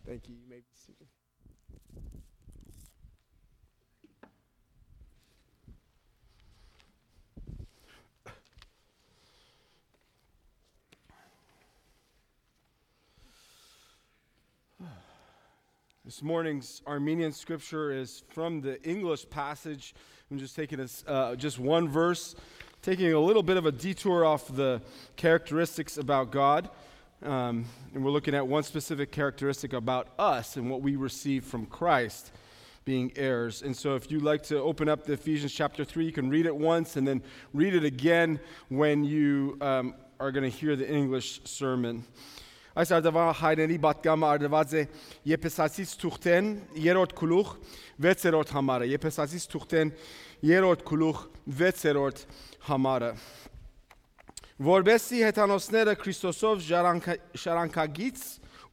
Thank you. You may be seated. This morning's Armenian scripture is from the English passage. I'm just taking just one verse, taking a little bit of a detour off the characteristics about God. And we're looking at one specific characteristic about us and what we receive from Christ, being heirs. And so if you'd like to open up the Ephesians chapter 3, you can read it once and then read it again when you are going to hear the English sermon. Այս արդավա հայրենի պատգամը արդված է Եփեսացիս թուղթեն 3-րդ գլուխ 6-րդ համարը Եփեսացիս թուղթեն 3-րդ գլուխ 6-րդ համարը Որբեսի հեթանոսները Քրիստոսով շարանկագից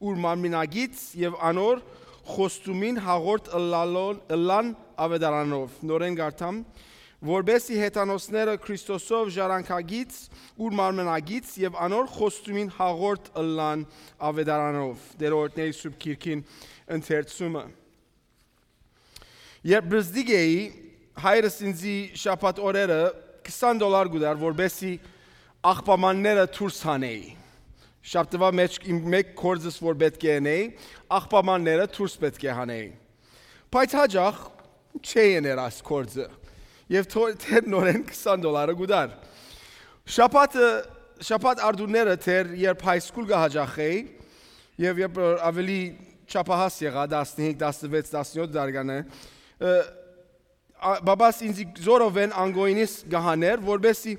ուր մարմինագից եւ անոր խոստումին հաղորդ ըլլան ավետարանով նորեն գարտամ Որբեսի հեթանոսները Քրիստոսով ժառանգագից ուր մարմնագից եւ անոր խոստումին հաղորդ ըլլան ավետարանով դերորդների սուրբ քիրքին ընթերցումը Երբ բրզդիգեի հայրս ինձի շաբաթ օրերը $20 գուդար որբեսի աղբամանները դուրս հանեի շաբթվա մեջ իմ մեկ կորձս որ պետք է անեի աղբամանները դուրս պետք է հանեի բայց հաջող չէին երաս կորձը Եվ թեր նորեն $20 գուդար։ Շաբաթ արդուները թեր երբ հայսկուլ գահաջախեի և երբ ավելի չապահաս եղա 15, 16, 17 դարգանը բաբաս ինձի զորովեն անգոյնիս գահաներ, որբեսի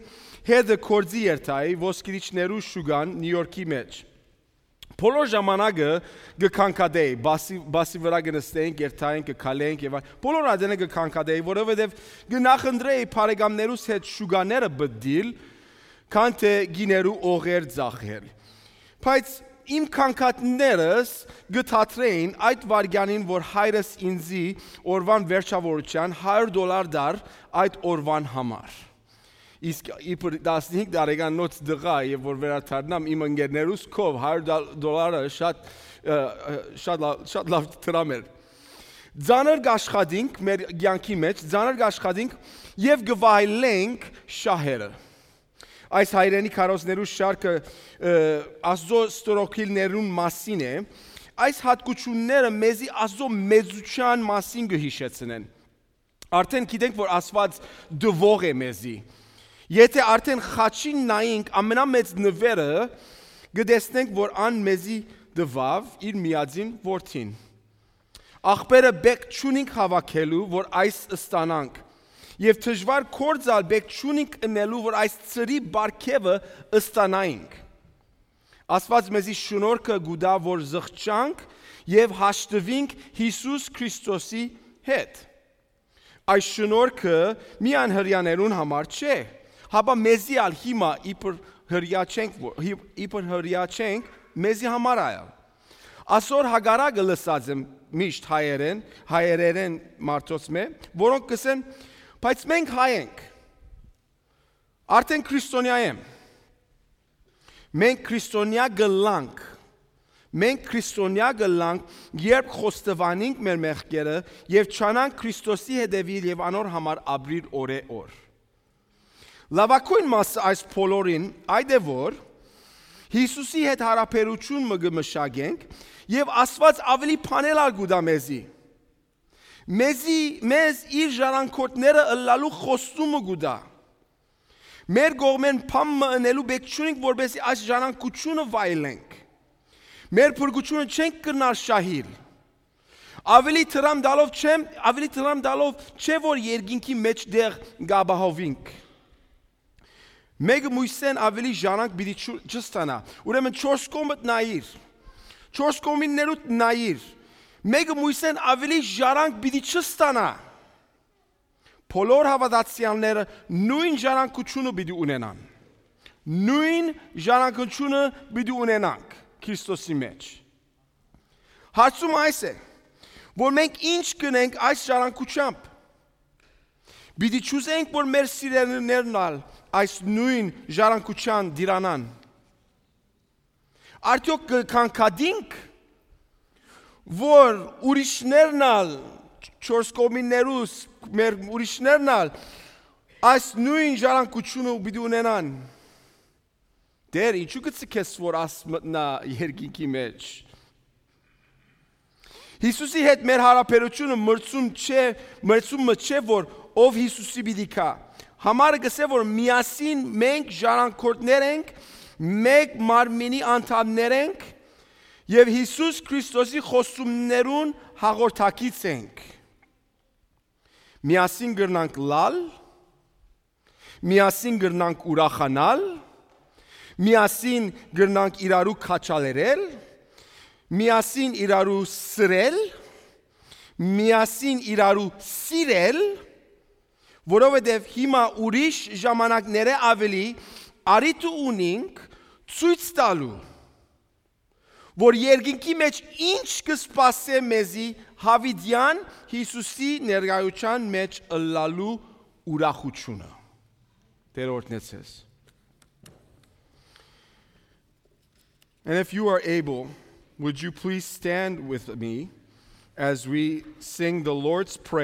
հետը կորձի երթայի ոսկիրիչներու շուգան Նյու Յորքի մեջ։ Բոլոր ժամանակը գքանքադեի, բասի վրա գնստեինք, երթայինք, գքալեինք եւ բոլոր adene գքանքադեի, որովհետեւ գնախնդրեի բարեկամներուս հետ շուգաները բդիլ, քան թե գիներու օղեր ծախել։ Բայց իմ քանքատներս գթաթրեին այդ վարգյանին, որ հայրս ինձի օրվան վերջավորության $100 դար այդ օրվան համար։ Իսկ իբր 15 տարեկանոց դղա եւ որ վերադառնամ իմ ընկերներուս կով $100 շատ լավ տրամ էր Ձանր գաշխատինք մեր կյանքի մեջ ձանր գաշխատինք եւ գվայլենք շահերը Այս հայրենի քարոզներու շարքը Աստծո ստորոքիլներուն մասին է այս հատկությունները մեզի Աստծո մեծության մասին կհիշեցնեն Արդեն գիտենք որ Աստված դվող է մեզի Եթե արդեն խաչին նայենք ամենամեծ նվերը գտեսնենք որ ան մեզի դվավ իր միածին որդին Աղբերը բեք չունինք հավաքելու որ այս ստանանք եւ դժվար կորձալ բեք չունինք ընելու որ այս ծրի բարգեւը ստանայինք Աստված մեզի շնորհքը գուտա որ զղջանք եւ հաշտվինք Հիսուս Քրիստոսի հետ Այս շնորհքը միայն հрьяաներուն համար չէ Հաբա մեզի ալ հիմա իպր հրյա չենք մեզի համար այլ Ասոր հագարագը լսած եմ միշտ հայերեն մարդոց մե որոնք կսեն բայց մենք հայ ենք արդեն քրիստոնյա եմ մենք քրիստոնյա գլանք Մենք քրիստոնյա գլանք երբ խոստովանենք մեր մեղքերը եւ չանանք Քրիստոսի հետևիլ եւ անոր համար ապրիլ օրե-օր Լավակույն մասը այս բոլորին այդ է որ Հիսուսի հետ հարաբերություն մգմշագենք եւ Աստված ավելի փանել ալգուդա մեզի մեզ իր ժառանգորդները ըլլալու խոստումը գուդա Մեր գողմեն փամը ընելու բեք չունենք որբեսի այս ժառանգությունը վայելենք Մեր փրկությունը չենք կրնալ շահիլ Ավելի տրամ դալով չէ որ երկինքի մեջ դեղ գաբահովինք Մեկը մույսեն ավելի ժանանք բիդի չստանա, ուրեմն 4 կոմդ նայիր, 4 կոմիններուտ նայիր, մեկը մույսեն ավելի ժարանք բիդի չստանա, բոլոր հավատացյալները նույն ժառանգությունը բիդի ունենան, նույն ժառանգությունը բիդի ունենանք Քրիստոսի մեջ Հարցումը այս է, որ մենք ինչ կնենք այս ժառանգությամբ Բիդի չուզենք, որ մեր սիրելիներն ալ այս նույն ժառանգության դիրանան Արդյոք կքանքադինք, որ ուրիշներն ալ չորս կողմիներուս մեր ուրիշներն ալ այս նույն ժառանգությունը պիտի ունենան։ Դեր ինչու գցես որ աս մտնա երկինքի մեջ։ Հիսուսի հետ մեր հարաբերությունը մրցումը չէ որ ով Հիսուսի պիտի կա։ Համարը գսե որ միասին մենք ժառանգորդներ ենք, մեկ մարմինի անդամներ ենք եւ Հիսուս Քրիստոսի խոսումներուն հաղորդակից ենք։ Միասին գրնանք լալ, միասին գրնանք ուրախանալ, միասին գրնանք իրարու քաչալերել, միասին իրարու սրել, միասին իրարու սիրել, որովհետև հիմա ուրիշ ժամանակները ավելի արիթ ունենք ցույց տալու, որ երկինքի մեջ ինչ կսպասե մեզի հավիդյան Հիսուսի ներկայության մեջ ըլլալու ուրախությունը։ Տեր օրհնեցես։ And if you are able, would you please stand with me as we sing the Lord's Prayer?